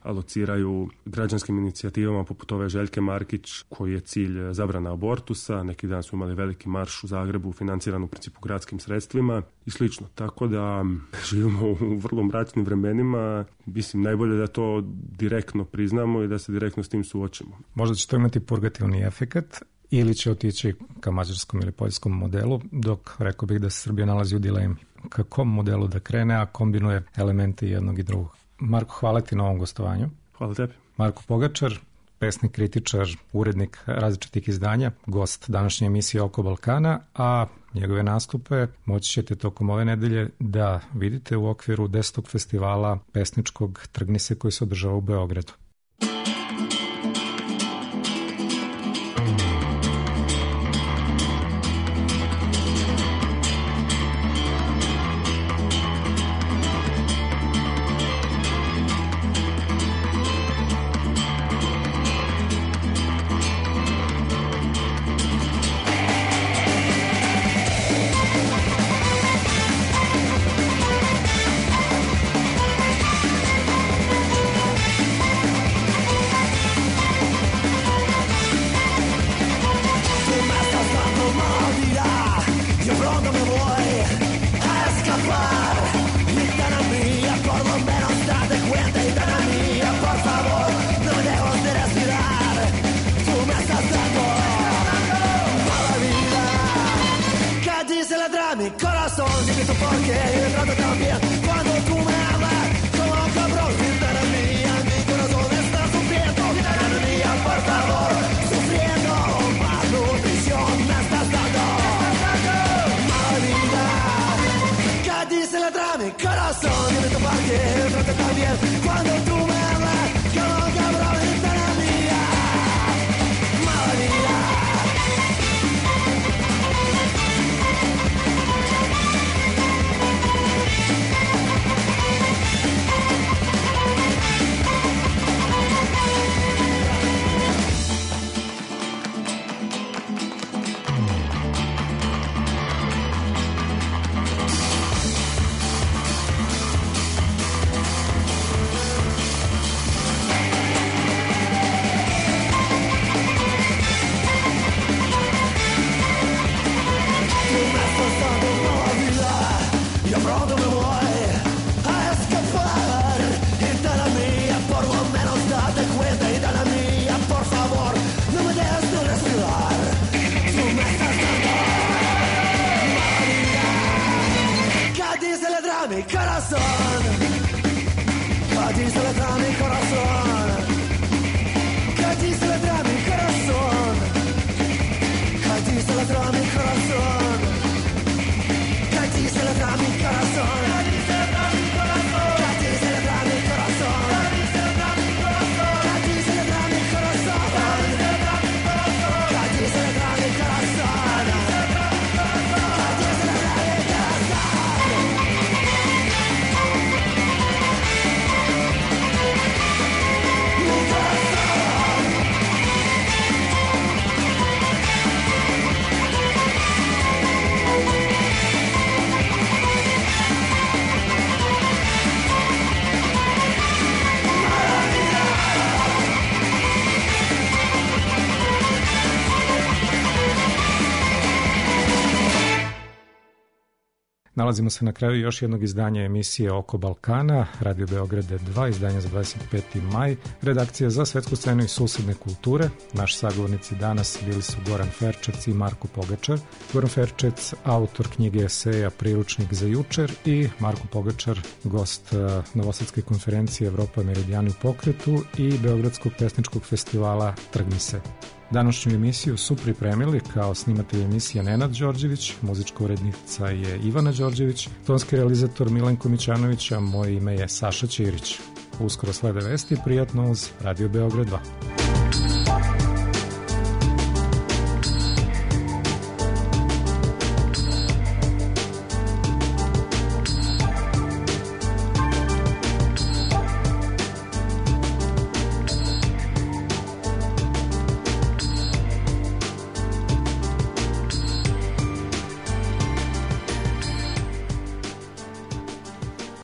alociraju građanskim inicijativama poput ove Željke Markić, koji je cilj zabrana abortusa. Neki dan su imali veliki marš u Zagrebu, financiran u principu gradskim sredstvima i slično. Tako da živimo u vrlo mračnim vremenima. Mislim, najbolje da to direktno priznamo i da se direktno s tim suočimo. Možda će to imati purgativni efekat ili će otići ka mađarskom ili poljskom modelu, dok rekao bih da se Srbija nalazi u dilemi. Ka kom modelu da krene, a kombinuje elemente jednog i drugog. Marko, hvala ti na ovom gostovanju. Hvala tebi. Marko Pogačar, pesnik, kritičar, urednik različitih izdanja, gost današnje emisije Oko Balkana, a njegove nastupe moći ćete tokom ove nedelje da vidite u okviru 10. festivala pesničkog Trgni se koji se održava u Beogradu. escapar. Gitana mía, por lo menos date cuenta. Gitana mía, por favor, no me dejes de respirar. Tú me estás dando mala vida. ¿Qué dice la de mi corazón? Dime tú por qué y me trato tan bien. Cuando tú me hablas como un cabrón. Gitana mía, mi corazón está sufriendo. Gitana mía, por favor, sufriendo. Malnutrición me estás dando mala vida. ¿Qué dice la de mi corazón? Dime tú por qué me trato tan bien. Cuando tú me hablas como un cabrón. Gitana mía, mala vida. Mi corazón, ¿qué dice la de mi corazón? ¿Qué dice la de mi corazón? ¿Qué dice la de mi corazón? ¿Qué dice la de mi corazón? ¿Qué dice la de mi corazón? ¿Qué dice la de mi corazón? ¿Qué dice la de mi corazón? ¿Qué dice la de mi corazón? ¿Qué dice la de mi corazón? Nalazimo se na kraju još jednog izdanja emisije Oko Balkana, Radio Beograd 2, izdanje za 25. maj, redakcija za svetsku scenu i susedne kulture. Naši sagovornici danas bili su Goran Ferčec i Marko Pogačar. Goran Ferčec, autor knjige eseja Priručnik za jučer, i Marko Pogačar, gost Novosadske konferencije Evropa Meridijani u pokretu i Beogradskog pesničkog festivala Trgni se. Današnju emisiju su pripremili kao snimatelj emisija Nenad Đorđević, muzička urednica je Ivana Đorđević, tonski realizator Milenko Mićanović, a moje ime je Saša Ćirić. Uskoro slede vesti, prijatno uz Radio Beograd 2.